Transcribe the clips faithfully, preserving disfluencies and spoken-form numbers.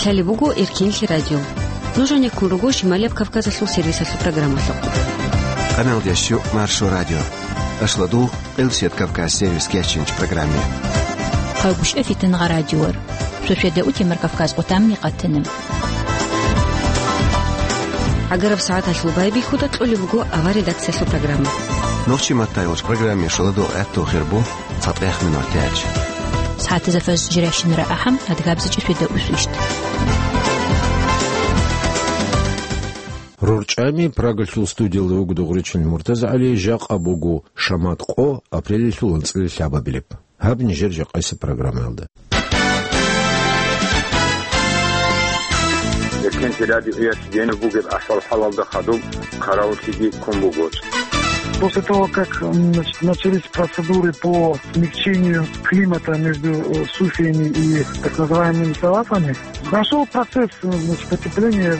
Лъалеб буго Эркенлъи радио. Нуж гьанеккун руго Шималияб Кавказалъул сервисалъул программалъухъ. Къаналдеш щу Маршо радио. Ашлу дугъ Къилсият Кавказ сервис кечинч программе. Къавгушев Фитнагъа радиор. Шошеда утемар Кавказ къутамни къатанам. ГӀагараб сагӀаталъул байбихьуда кьолеб буго авар редакциялъул программа. Нухчи Маттайович программе шоладо гӀатту хирбу. ЦатӀех минутач. СагӀатазда фажр жиращинара ахӀам, адгабзичӀи шведа усвищт. РорчӀами Прагалъул студиялда вуго Дугъричил МуртазагӀали, жакъа буго шамат къо, апрелалъул анцӀила лъабабилеб. Гьаб нижер жакъасеб программаялда. Эркенлъи радиоялъ гьениб бугеб ахӀвал-хӀалалда хадуб хъаравуллъиги ккун буго. После того, как, м, значит, начались процедуры по смягчению климата между, э, суфиями и так называемыми салафами, прошёл процесс, э, значит, потепления.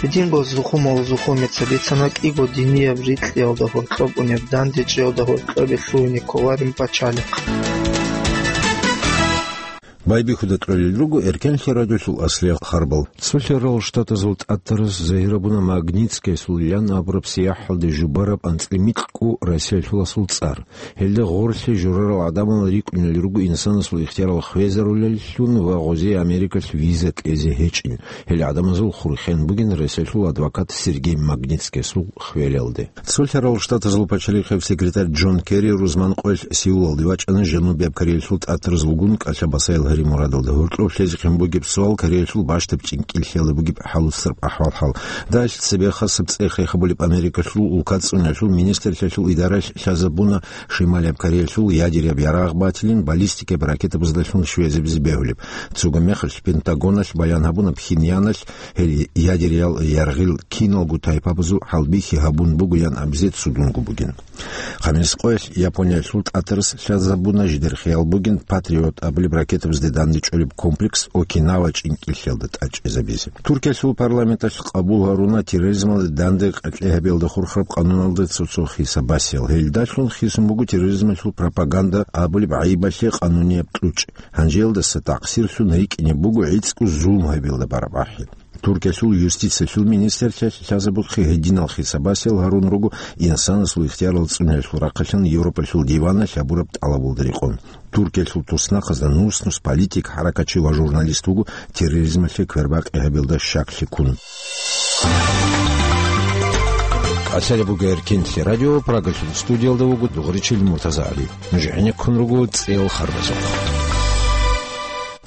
Гьединго Зухумал Зухумица бицана кӀиго динияб рикьиялда гьоркьоб унеб дандечӀиялда гьоркьобе лъугьине кколарин пачалихъ. Байбихьуда кьолел руго Эркенлъи радиолъул аслияб харбал. Цолъарал Штатазул тӀатарас загьир гьабуна Магнитскайсул ян абураб сияхӀалде жубараб анцӀила микьго Россиялъул асул цӀар. Гьелда гъорлъе журарал гӀадамал рикӀкӀунел руго инсанасул ихтиярал хвезарулеллъун ва гъозие Америкалъ виза кьезе гьечӀин. Гьел гӀадамазул хурхен бугин Россиялъул адвокат Сергей Магнитскайсул хвелалде. Цолъарал Штатазул пачалихъеб секретарь Джон Керри рузман къоялъ Сеулалде вачӀана жанубияб Кореялъул тӀатараз вугун кӀалъа-басаял гьари мурадалда. Гьоркьоб лъезехъин бугеб суал Кореялъул бащдаб чӀинкӀиллъиялда бугеб хӀалуцараб ахӀвал-хӀал. Дагьалъ цебехъа саб цӀехе хабулеб Америкалъул улкацӀцӀуналъул министрлъиялъул идаралъ лъазабуна Шималияб Кореялъул ядеряб ярагъ батилин баллистикаб ракетабаздалъун щвезабизе бегьулеб. Цого мехалъ Пентагоналъ баян гьабуна Пхеньяналъ гьел ядериял яргъил киналго тайпабазул хӀалбихьи гьабун бугоян абизе цугунго бугин. Хъамис къоялъ Япониялъул тӀатарас лъазабуна жидер хиял бугин Патриот абулеб ракетабазде дандечӀолеб комплекс Окинава чӀинкӀиллъиялда тӀадчӀезабизе. Туркиялъул парламенталъ къабул гьаруна терроризмалда данде къеркьей гьабиялда хурхараб къануналда цо-цо хиса-басиял. Гьелдалъун хисун буго терроризмалъул пропаганда абулеб гӀайибалъе къанунияб кьучӀ. Гьанжеялдаса такъсирлъун рикӀкӀине буго гӀицӀго зулм гьабиялда бараб ахӀи. Туркиялъул юстициялъул министрлъиялъ лъазабухъе гьединал хиса-басиял гьарун руго инсанасул ихтиярал цӀуниялъул рахъалъан Европалъул диваналъ гьабураб тӀалабалда рекъон. Туркиялъул туснахъазда нус-нус политик, хӀаракатчи ва журналист вуго терроризмалъе квербакъи гьабиялда щаклъи ккун. Къалъалеб буго Эркенлъи радио, Прагалъул студиялда вуго Дугъричил МуртазагӀали. Нуж гӀенеккун руго цӀел харбазухъ.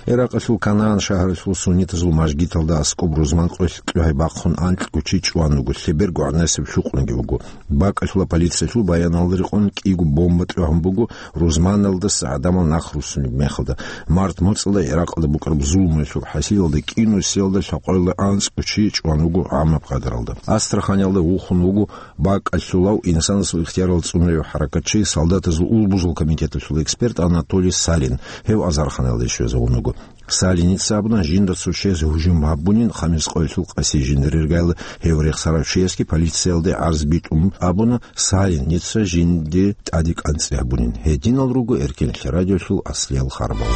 Иракъалъул Канаан шагьаралъул суннитазул мажгиталда аскӀоб рузман къоялъ кьогьай бахъун анкьго чи чӀван вуго, лъеберго гӀанасеб лъукъунги вуго. БакӀалъула полициялъул баяналда рекъон кӀиго бомба тӀогьун буго рузманалдаса гӀадамал нах руссунеб мехалда. Март моцӀалда Иракъалда букӀараб зулмуялъул хӀасилалда кӀинусиялда лъабкъоялда анцӀго чи чӀван вуго гӀаммаб къадаралда. Астраханиялда вухун вуго бакӀалъулав инсанасул ихтиярал цӀунаев хӀаракатчи, солдатазул улбузул комитеталъул эксперт Анатолий Салин, гьев азарханалде щвезавун вуго. Салиница абуна, жинда цо чияс гьужум гьабунин, Хамис къоялъул къаси жиндир иргайилла гьев рехсарав чиясги полициялде гӀарз битӀун абуна, Салиница жинде тӀаде кӀанцӀи гьабунин. Гьединал руго Эркенлъи радиолъул аслиял харбал.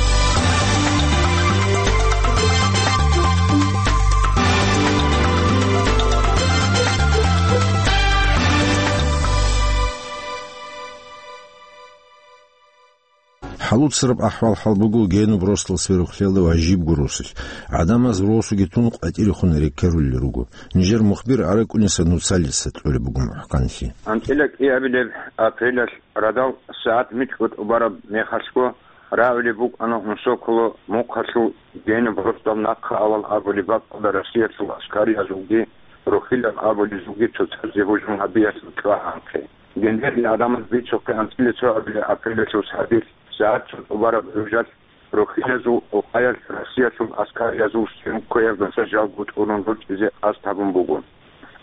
ХӀалуцараб ахӀвал-хӀал буго генуб росдал сверухълъиялда ва жибго росулъ. ГӀадамаз росуги тун къватӀирехун рекерулел руго. Нижер мухбир АракӀуниса Нуцалица кьолеб буго мухӀканлъи. АнцӀила кӀиабилеб апрелалъ радал сагӀат микьго тӀубараб мехалъго, рагӀулеб букӀана Унсоколо мухъалъул генуб росдал нахъа авал абулеб бакӀалда Россиялъул аскариязулги рухьилал абулезулги цоцазе гьужум гьабиялъул чӀвагӀанхъе. Гьединал гӀадамаз бицухъе анцӀила цоабилеб апрелалъул сагӀаталъ, сагӀат цо тӀубараб гӀужалъ, рухьилазул улкаялъ Россиялъул аскариязул съёмкаяб гасажалго тӀурун ручӀизе къасд гьабун буго.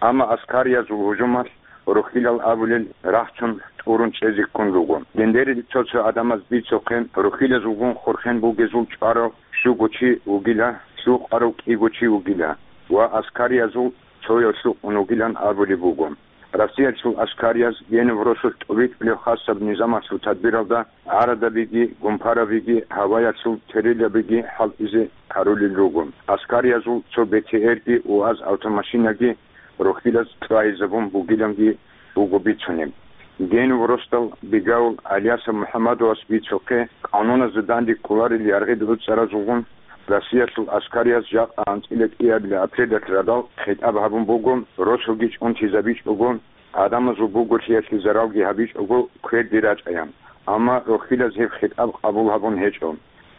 Амма аскариязул гьужумалъ рухьилал абулел рахчун тӀурун чӀезе ккун руго. Гьединал цо-цо гӀадамаз бицухъе рухьилазулгун хурхен бугезул чӀварав щуго чи вугила, лъукъарав кӀиго чи вугила ва аскариязул цояв лъукъун вугилан абулеб буго. Россиялъул аскарияз Генов росулъ тӀубитӀулеб хасаб низамалъул тадбиралда гӀарадабиги, гумпарабиги, гьаваялъул терилабиги хӀалтӀизе гьарулел руго. Аскариязул цо Б Т Р-ги, УАЗ автомашинаги рохьилаз чӀвайизабун бугиланги буго бицунеб. Генов росдал Бегавул Алиясов МухӀаммадовас бицухъе, къануназда данде кколарел яргъи гӀуцӀаразулгун, Россиялъул аскарияз жакъа анцӀила кӀиабилеб апрелалъ радал хитӀаб гьабун буго, росулги чӀунтизабичӀого, гӀадамазул буголъиялъе заралги гьабичӀого, кверде рачӀаян. Амма рохьилаз гьеб хитӀаб къабул гьабун гьечӀо.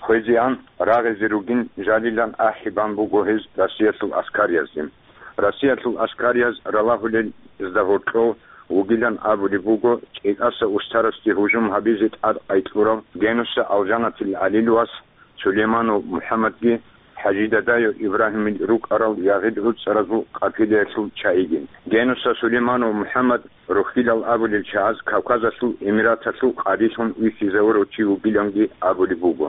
Хвезеан, рагъизе ругин жалилан ахӀи бан буго гьез Россиялъул аскариязде. Россиялъул аскарияз ралагьулел изда гьоркьов вугилан абулеб буго ЧӀикӀаса устарасде гьужум гьабизе тӀад къайкьурав Генуса Алжанатил ГӀалил вас Сулейманов МухӀаммадги, ХӀажидадайо Ибрагьимил рукӀарал ягъид гӀуцӀаразул къапилаялъул чагӀиги. Генуса Сулейманов МухӀаммад рохьилал абулел чагӀаз Кавказалъул Эмираталъул къадилъун вихьизавурав чи вугиланги абулеб буго.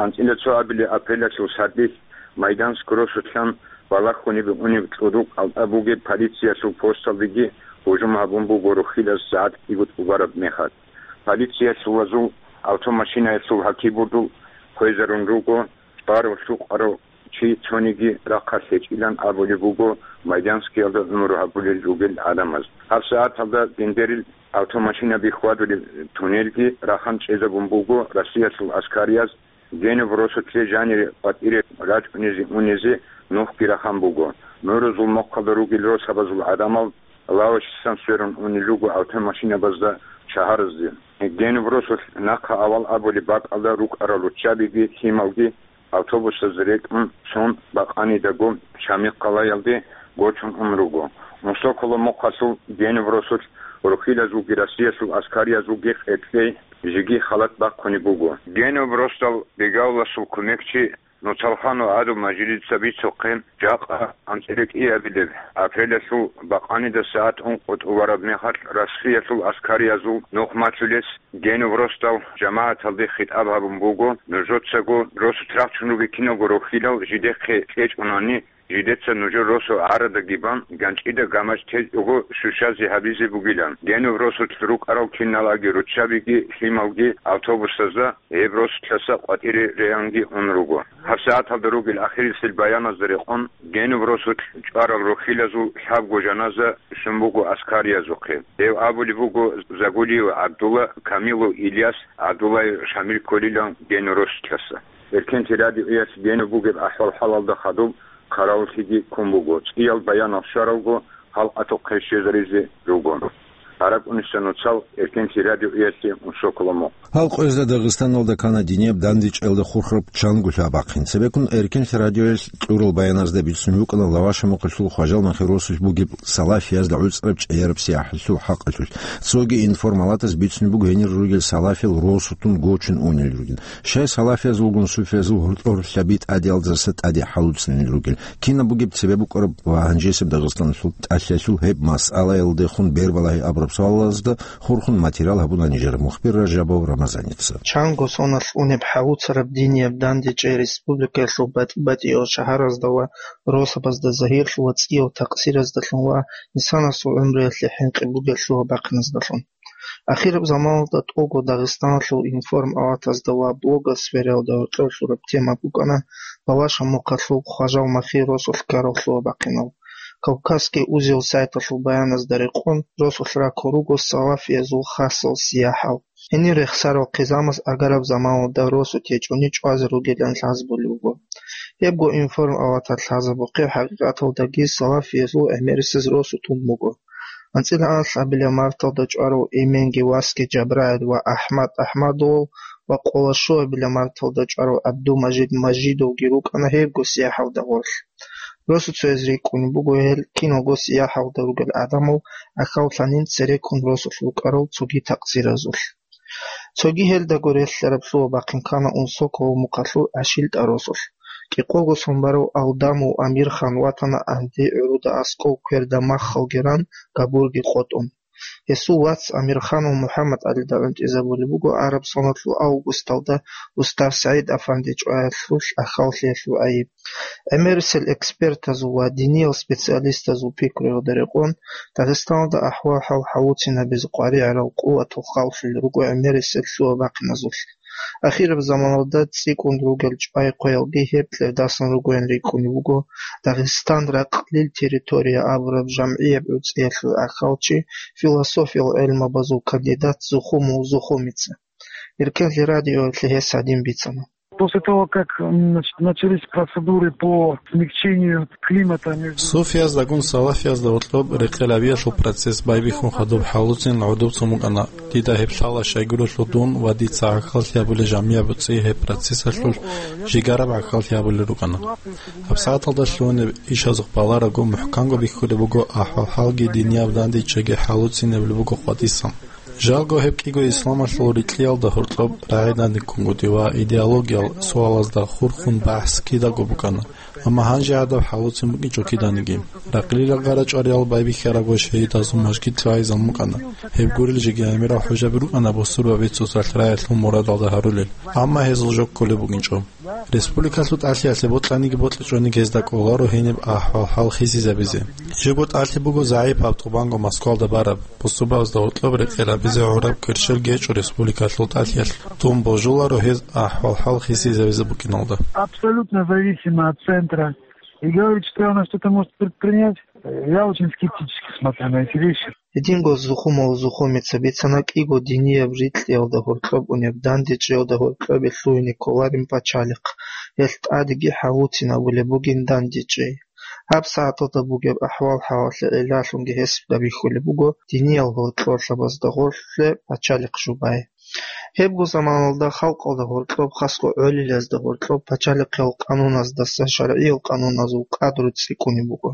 АнцӀила цоабилеб апрелалъул сардилъ Майданск росулъан балагьунеб унеб кьурукъ алтӀа бугеб полициялъул посталдеги гьужум гьабун буго рохьилаз сагӀат кӀиго тӀубараб мехалъ. Полициялъул вазул автомашинаялъул гьакибурдул хвезарун руго чӀварав-лъукъарав чи цониги рахъалъ гьечӀилан абулеб буго Майданскиялда гӀумру гьабулел ругел гӀадамаз. ГьабсагӀаталда гендерил автомашинаби хьвадулеб туннелги рахан чӀезабун буго Россиялъул аскарияз Генов росулъе жанире къватӀире рачӀунезе-унезе нухги рахан буго. Мурузул мохъалда ругел росабазул гӀадамал лавашисан сверун унел руго автомашинабазда шагьаразде. Генов росулъ нахъа авал абулеб бакӀалда рукӀарал руччабиги лъималги автобусаз рекӀун цун бакъанидаго Шамил къалаялде гочун ун руго. Унсоколо мохъалъул Генов росулъ рохьилазулги Россиялъул аскариязулги къеркьей жеги халат бахъунеб буго. Генов росдал Бегавласул кумекчи Нуцалханов ГӀадумажидица бицухъе, жакъа анцӀила кӀиабилеб апрелалъул бакъанида сагӀат ункъо тӀубараб мехалъ Россиялъул аскариязул нухмалъулес Генов росдал жамагӀаталде хитӀаб гьабун буго: нужецаго росулъ рахчун ругел киналго рохьилал жидехъе кьечӀунани, жидеца нужер росу гӀарадаги бан, ганчӀида гамаж течӀого щущазе гьабизе бугилан. Генов росулъ рукӀарал киналаги руччабиги лъималги автобусазда гьеб росулъаса къватӀире реанги ун руго. ГьабсагӀаталда ругел ахирисел баяназда рекъон, Генов росулъ чӀварал рохьилазул лъабго жаназа щун буго аскариязухъе. Гьев абулеб буго Загулиев ГӀабдулла, Камилов Ильяс, ГӀабдуллаев Шамил кколилан Генов росулъаса. Эркенлъи радиоялъ Генов бугеб ахӀвал-хӀалалда хадуб хъаравуллъиги ккун буго. ЦӀиял баянал щваралго, халкъалъухъе щвезаризе руго. ГьаракӀуниса нуцал Эркенлъи радиоялъе унсоколо мохъ. Гьал къоязда Дагъистаналда ккана динияб дандечӀелда хурхараб чанго лъабахъин. Цебеккун Эркенлъи радиоялъ кьурал баяназда бицунеб букӀана Лавашамухъалъул Хважал Махиросулъ бугеб салафиязда гӀуцӀраб чӀегӀераб сияхӀалъул хӀакъалъулъ. Цоги информалатаз бицунеб буго гьенир ругел салафил росулъун гочун унел ругел. Щай салафиязулгун суфиязул гьоркьор лъаби тӀадиялдаса тӀаде хӀалуцӀцӀанил ругел? Кинаб бугеб цебе букӀараб ва гьанжесеб Дагъистаналъул тӀалъалъул гьеб масъалаялдехун бербалагьи абураб суалазда хурхун материал гьабуна нижер мухбир Ражабов Рамазаница. Чанго соналъ унеб хӀалуцараб динияб дандечӀей республикаялъул батӀи-батӀиял шагьаразда ва росабазда загьирлъула цӀиял такъсираздалъун ва инсанасул гӀумруялъе хӀинкъи бугелъула бахъиназдалъун. Ахираб заманалда тӀолго Дагъистаналъул информалатазда ва блогосфераялда гьоркьор лъураб тема букӀана Лавашамухъалъул Хважал Махиросулъ ккараллъула бахъинал. Кавказский узел сайталъул баяназда рекъон, росулъ раккун руго салафиязул хасал сияхӀал. Гьенир рехсарал хъизамас агараб заманалда росу течӀони чӀвазе ругилан лъазабулеб буго. Гьебго информалаталъ лъазабухъе хӀакъикъаталдаги салафиязул гӀемерисез росу тун буго. АнцӀила анлъабилеб марталда чӀварав Эменги васги Жабраил ва АхӀмад АхӀмадовал ва къоло щуабилеб марталда чӀварав ГӀабдумажид Мажидовги рукӀана гьебго сияхӀалда гъорлъ. Росу цояз рикӀкӀунеб буго гьел киналго сияхӀалда ругел гӀадамал ахьаллъанин цереккун росулъ рукӀарал цоги такъсиразулъ. Цоги гьелдаго релълъараб лъугьа-бахъин ккана Унсокова мухъалъул ГӀашилтӀа росулъ. КӀикъого сон барав Алдамов Амирхан ватана гӀанди гӀуруда аскӀов кверда маххалги ран, габурги къотӀун. Гьесул вац Амирханов МухӀаммад-ГӀалида гӀунтӀизабулеб буго араб соналъул августалда Устав СагӀид-афанди чӀваялъулъ ахьаллъиялъул гӀайиб. ГӀемерисел экспертазул ва диниял специалистазул пикруялда рекъон, Дагъистаналда ахӀвал-хӀал хӀалуцинабизе къваригӀарал къуватал халлъулел руго гӀемерисел лъугьа-бахъиназулъ. Ахираб заманалда цӀикӀкӀун ругел чӀвай-хъвеялги гьеб кьердасан ругоян рикӀкӀунеб буго Дагъистан ракълил территория абураб жамгӀияб гӀуцӀиялъул гӀахьалчи, философиял гӀелмабазул кандидат Зухумул Зухумица. Эркенлъи радиоялъе гьес гьадин бицана. После того, как, м, нач-, начались процедуры по смягчению климата между... Суфияздагун салафиязда гьоркьоб рекъелабиялъул процесс байбихьун хадуб хӀалуцин гӀодоб цун букӀана. Дида гьеб лъала щайгурелъул дун ва дица гӀахьаллъи гьабулел жамгӀияб гӀуцӀи гьеб процессалъулъ жигараб гӀахьаллъи гьабулел рукӀана. ГьабсагӀаталда лъугьунеб ишазухъ баларагу, мухӀканго бихьулеб буго ахӀвал-хӀалги динияб дандечӀейги хӀалуцинабулеб буго къватӀисан. Жалго гьеб кӀиго исламалъул рикьиялда гьоркьоб рагӀидандеккунгутӀи ва идеологиял суалазда хурхун бахӀс кидаго букӀана, амма гьанже гӀадаб хӀалуцин букӀинчӀо киданиги. Ракълил гъарачӀвариял байбихьарабго шагьидазул мажгит лъугӀайзан букӀана. Гьеб гурел жеги гӀемерал хӀужаби рукӀана бусурбаби цоцалъ рагӀиялъул мурадалда гьарулел, амма гьезул жо кколеб букӀинчӀо. Республикалъул тӀалъиялъе бокьаниги бокьичӀониги гьезда кӀоларо гьениб ахӀвал-хӀал хисизабизе. Жего тӀалъи буго загӀипаб тӀубанго Москвалда бараб, бусурбабазда гьоркьоб рекъелабизе гӀураб кверщел гьечӀо республикалъул тӀалъиялъ. Дун божуларо гьез ахӀвал-хӀал хисизабизе букӀиналда. Абсолютно зависимо от центра. И говорить, что она что-то может предпринять, я очень скептически смотрю на эти вещи. Гьединго Зухумул Зухумица бицана кӀиго динияб рикьиялда гьоркьоб унеб дандечӀейалда гьоркьобе лъугьине кколарин пачалихъ, гьелъ тӀадеги хӀалуцин абулеб бугин дандечӀей. ГьабсагӀаталда бугеб ахӀвал-хӀалалъе гӀиллалъунги гьес бихьулеб буго диниял гьоркьорлъабазда гъорлъе пачалихъ жубай. Гьебго заманалда халкъалда гьоркьоб, хасго гӀолилазда гьоркьоб пачалихъиял къануназдаса шаргӀиял къануназул къадру цӀикӀкӀунеб буго.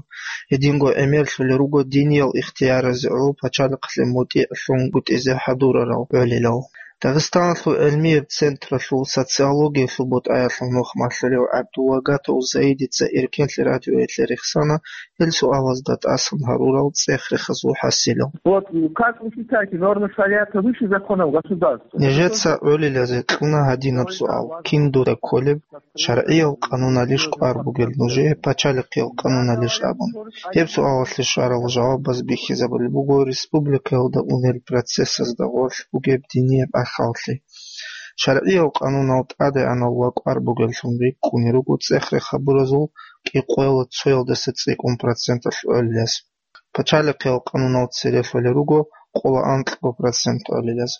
Гьединго гӀемерлъулел руго диниял ихтияразе гӀоло пачалихълъи мутӀигӀлъунгутӀизе хӀадурарал гӀолилал. Дагъистаналъул гӀелмияб централъул социологиялъул бутӀаялъул нух малъулев ГӀабдулвагатов Заидица Эркенлъи радиоялъе рехсана гьел суалазда тӀасан гьарурал цӀех-рехазул хӀасилал. Вот, как вы считаете, нормы шариата выше законов государства? Нижеца гӀолилазе кьуна гьадинаб суал: кин дуда кколеб, шаргӀиял къануналищ кӀвар бугел нужее, пачалихъиял къануналищ абун? Гьеб суалалъе щварал жавабаз бихьизабулеб буго республикаялда унел процессазда гъорлъ бугеб динияб ахӀаллъи. ШаргӀиял къанунал тӀадегӀанав ва кӀвар бугеллъун рикӀкӀунел руго цӀех-рех гьабуразул кӀикъоялда цоялдаса цӀикӀкӀун проценталъ гӀолилаз. Пачалихъиял къанунал цере лъолел руго къоло анкьго процент гӀолилаз.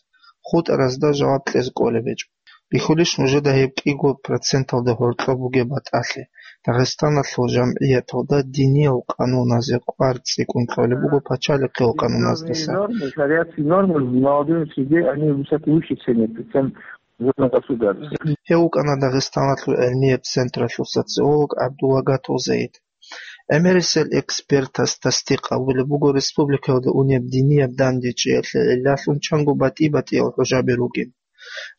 ХутӀаразда жаваб кьезе кӀолеб гьечӀо. Бихьулищ нужеда гьеб кӀиго проценталда гьоркьоб бугеб батӀалъи, Дагъистаналъул жамгӀияталда диниял къануназе кӀвар цӀикӀкӀун кьолеб буго пачалихъиял къануназдаса? Нормы, шариатские нормы в молодёжной среде, они висят выше цены, чем в государстве. Гьев вукӀана Дагъистаналъул гӀелмияб централъул социолог ГӀабдулвагатов Заид. ГӀемерисел экспертас тасдикъ гьабулеб буго республикаялда унеб динияб дандечӀеялъе гӀиллалъун чанго батӀи-батӀиял хӀужаби ругин.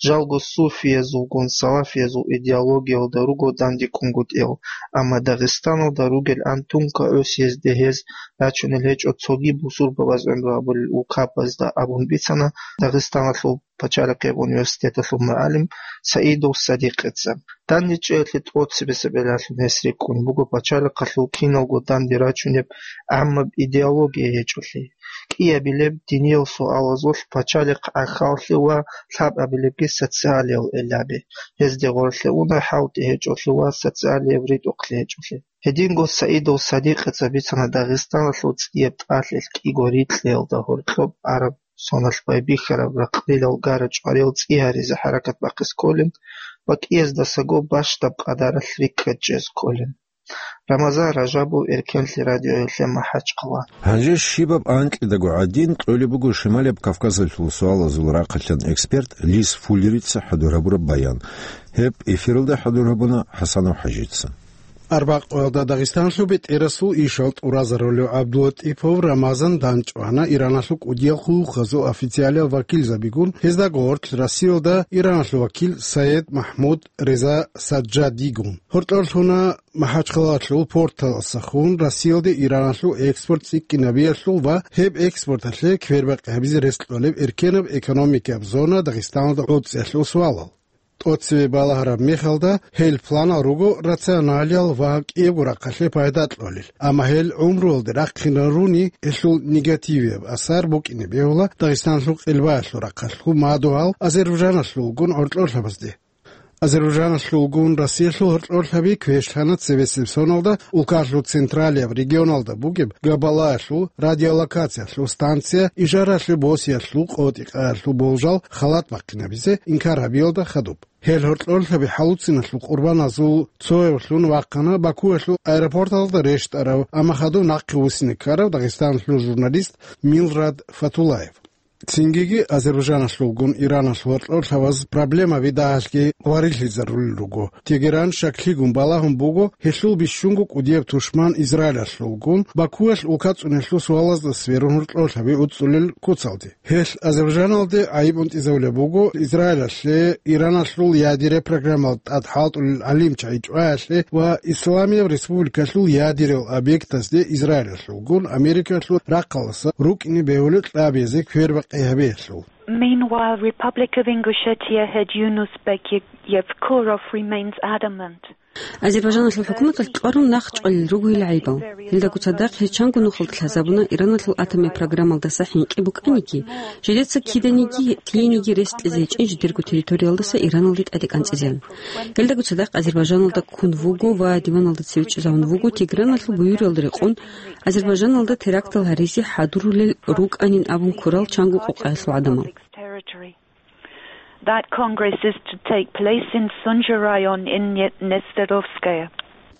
Жалго суфиязулгун салафиязул идеологиялда руго дандекӀунгутӀиял, амма Дагъистаналда ругел антунка гӀусиязде гьез рачунел гьечӀо цоги бусурбабаз гӀумру гьабулел улкабазда абун бицана Дагъистаналъул пачалихъияб университеталъул мугӀалим Саидов Садикъица. ДандечӀеялъе тӀоцебесеб гӀиллалъун гьес рикӀкӀунеб буго пачалихъалъул киналго данде рачунеб гӀаммаб идеология гьечӀолъи. КӀиабилеб диниял суалазулъ пачалихъ гӀахьаллъи ва лъабабилебги социалиял гӀиллаби. Гьезде гъорлъе уна хӀалтӀи гьечӀолъи ва социалияб ритӀухълъи гьечӀолъи. Гьединго Саидов Садикъица бицана Дагъистаналъул цӀияб тӀалъилъ кӀиго рикьиялда гьоркьоб араб соналъ байбихьараб ракълилал гара-чӀвариял цӀи гьаризе хӀаракат бахъизе кколин ва кӀияздасаго бащдаб къадаралъ рикӀкӀад чӀезе кколин. Рамазан Ражабов, Эркенлъи радиоялъе, МахӀачхъала. Гьанже щибаб анкьидаго гӀадин кьолеб буго Шималияб Кавказалъул суалазул рахъалъан эксперт Лис Фуллерица хӀадур гьабураб баян. Гьеб эфиралда хӀадур гьабуна ХӀасанов ХӀажица. Арбякъоялда Дагъистаналъул бетӀерасул ишал тӀуразарулев ГӀабдулатӀипов Рамазан дандчӀвана Ираналъул кӀудиял хъулухъазул официалиял вакилзабигун, гьездаго гъорлъ Россиялда Ираналъул вакил Саед Махмуд Реза Саджадигун. Гьоркьор лъуна МахӀачхъалалъул порталасахун Россиялде Ираналъул экспорт цӀикӀкӀинабиялъул ва гьеб экспорталъе квербакъи гьабизе рес кьолеб эркенаб экономикияб зона Дагъистаналда гӀуцӀиялъул суалал. ТӀоцеве балагьараб мехалда, гьел планал руго рационалиял ва кӀиябго рахъалъе пайда кьолел, амма гьел гӀумруялде рахъинаруни, гьелъул негативияб асар букӀине бегьула Дагъистаналъул къелбаялъул рахъалъул мадугьал Азербайджаналъулгун гьоркьорлъабазде. Азербайджаналъулгун Россиялъул гьоркьорлъаби квешлъана цебесеб соналда улкалъул централияб регионалда бугеб Габалаялъул радиолокациялъул станция ижаралъе босиялъул къотӀи-къаялъул болжал халат бахъинабизе инкар гьабиялда хадуб. Гьел гьоркьорлъаби хӀалуциналъул къурбаназул цоявлъун вахъана Бакуялъул аэропорталда рещтӀарав, амма хадуб нахъе вуссине ккарав Дагъистаналъул журналист Милрад Фатулаев. Цингиги Азербайджаналъулгун Ираналъул гьоркьорлъабаз проблемаби дагьалъги вариллъизарулел руго. Тегеран щаклъигун балагьун буго, гьелъул бищунго кӀудияб тушман Израилалъулгун, Бакуялъ улка цӀунелъул суалазда сверун гьоркьорлъаби уцӀцӀулел куцалде. Гьелъ Азербайджаналде гӀайиб унтӀизавулеб буго Израилалъе Ираналъул ядерия программалда тӀад хӀалтӀулел гӀалимчагӀи чӀваялъе ва Исламияб Республикалъул ядериял объектазде Израилалъулгун Америкалъул рахъалдаса рукӀине бегьулеб кьабизе квербакъи гьабиялъул. Meanwhile, Republic of Ingushetia head Yunus Bek Yevkurov remains adamant. Азербайджаналъул хӀукуматалъ кьварун нахъчӀвалел руго гьел гӀайибал. Гьелдаго цадахъ гьез чанго нухалда лъазабуна Ираналъул атомияб программалдаса хӀинкъи букӀаниги, жидеца киданиги, лъиениги рес кьезе гьечӀин жидерго территориялдаса Ираналде тӀаде кӀанцӀизеян. Гьелдаго цадахъ Азербайджаналда ккун вуго ва диваналда цеве чӀезавун вуго Тегераналъул буюралда рекъон Азербайджаналда терактал гьаризе хӀадурулел рукӀанин абун ккурал чанго къокъаялъул гӀадамал. That Congress is to take place in Sunja район in Не-, Нестеровская.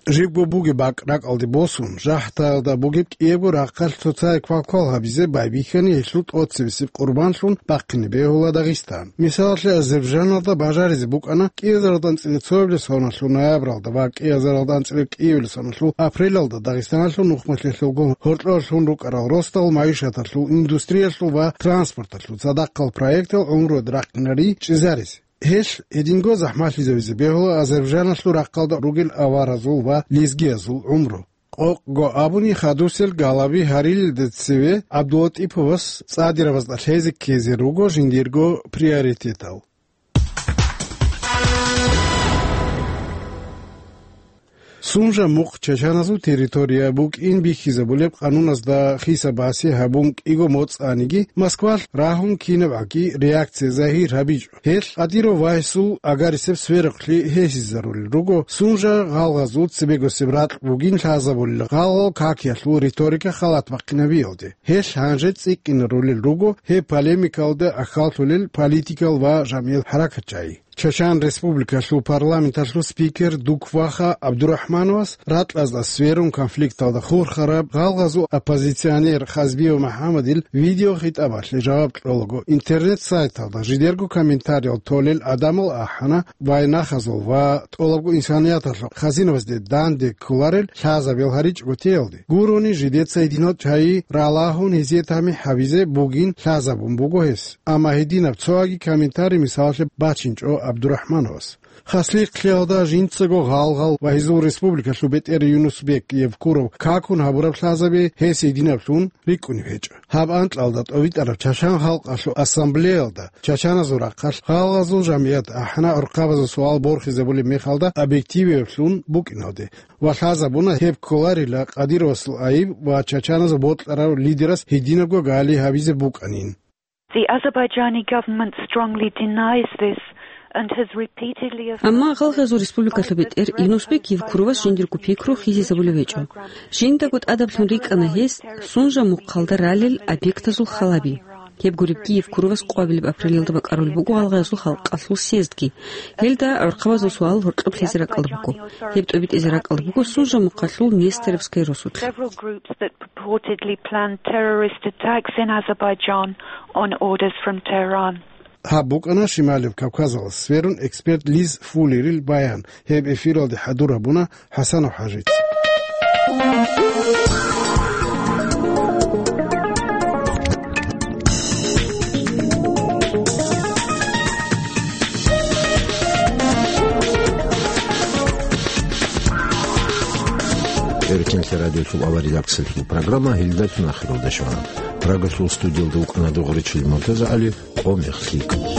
Жибго бугеб бакӀ ракӀалде босун, жахӀдаялда бугеб кӀиябго рахъалъ цоцае квалквал гьабизе байбихьани гьелъул тӀоцебесеб къурбанлъун бахъине бегьула Дагъистан. Мисалалъе, Азербайджаналда бажаризе букӀана кӀиазаралда анцӀила цоабилеб соналъул ноябралда ва кӀиазаралда анцӀила кӀиабилеб соналъул апрелалда Дагъистаналъул нухмалъиялъулгун гьоркьорлъун рукӀарал росдал майишаталъул, индустриялъул ва транспорталъул цадахъал проектал гӀумруялде рахъинари чӀезаризе. Гьелъ гьединго захӀмалъизавизе бегьула Азербайджаналъул рахъалда ругел аваразул ва лезгиязул гӀумру. Къокъго абуни, хадусел галаби гьарилелде цеве ГӀабдулатӀиповас цӀадирабазда лъезе ккезе руго жиндирго приоритетал. Сунжа мухъ чачаназул территория букӀин бихьизабулеб къануназда хиса-баси гьабун кӀиго моцӀаниги, Москвалъ рагьун кинабгӀаги реакция загьир гьабичӀо. Гьелъ Кадиров вагьисул агарисеб сверухълъи гьесизарулел руго, Сунжа гъалгъазул цебегосеб ракь бугин лъазабулел гъалгъал какиялъул риторика халат бахъинабиялде. Гьелъ гьанже цӀикӀкӀинарулел руго гьеб полемикалда ахьаллъулел политикал ва жамгӀил хӀаракатчагӀи. Чачан Республикалъул парламенталъул спикер Дукваха ГӀабдурахӀмановас ракьазда сверун конфликталда хурхараб гъалгъазул оппозиционер Хазбиев МухӀаммадил видеохитӀабалъе жаваб кьолаго интернет-сайталда жидерго комментариял толел гӀадамал ахӀана вайнахазул ва тӀолабго инсанияталъул хазинабазде данде кколарел лъазабил гьаричӀого теялде. Гурони жидеца гьединал чагӀи ралагьун гьезие тамихӀ гьабизе бугин лъазабун буго гьес. Амма гьединаб цояги комментарий мисалалъе бачинчӀо ГӀабдурахӀмановас. Хаслихълъиялда жинцаго гъалгъал ва гьезул республикалъул бетӀер Юнусбек Евкуров какун гьабураб лъазаби гьес гьединаблъун рикӀкӀунеб гьечӀо. Гьаб анкьалда тӀовитӀараб Чачан халкъалъул ассамблеялда чачаназул рахъалъ гъалгъазул жамгӀият ахӀана гӀурхъабазул суал борхизабулеб мехалда объективиблъун букӀиналде ва лъазабуна гьеб кколарила Кадировасул айиб ва чачаназул бокьарав лидерас гьединабго гали гьабизе букӀанин. The Azerbaijani government strongly denies this and has repeatedly Амма гъалгъазул республикалъул бетӀер Юнусбек Евкуровас жиндирго пикру хисизабулев гьечӀо. Жиндаго тӀадаблъун рикӀкӀана гьес Сунжа мухъалда ралел объектазул халаби. Гьеб гуребги Евкуровас къвабилеб апрелалда бакӀарулеб буго гъалгъазул халкъалъул съездги. Гьелда гӀурхъабазул суал гьоркьоб лъезе ракӀалда буго. Гьеб тӀобитӀизе ракӀалда буго Сунжа мухъалъул Нестеровская росулъ. Several groups that purportedly planned terrorist attacks in Azerbaijan on orders from Tehran. Гьаб букӀана Шималияб Кавказалъ сверун эксперт Лиз Фуллерил баян. Гьеб эфиралде хӀадур гьабуна ХӀасанов ХӀажица. Эркинлъи радиолъул авария раксалъул программа гьелдалъун ахиралда щвана. Прагалъул студиялда вукӀана Дугъричил МуртазагӀали, къо-мех лъикӀ.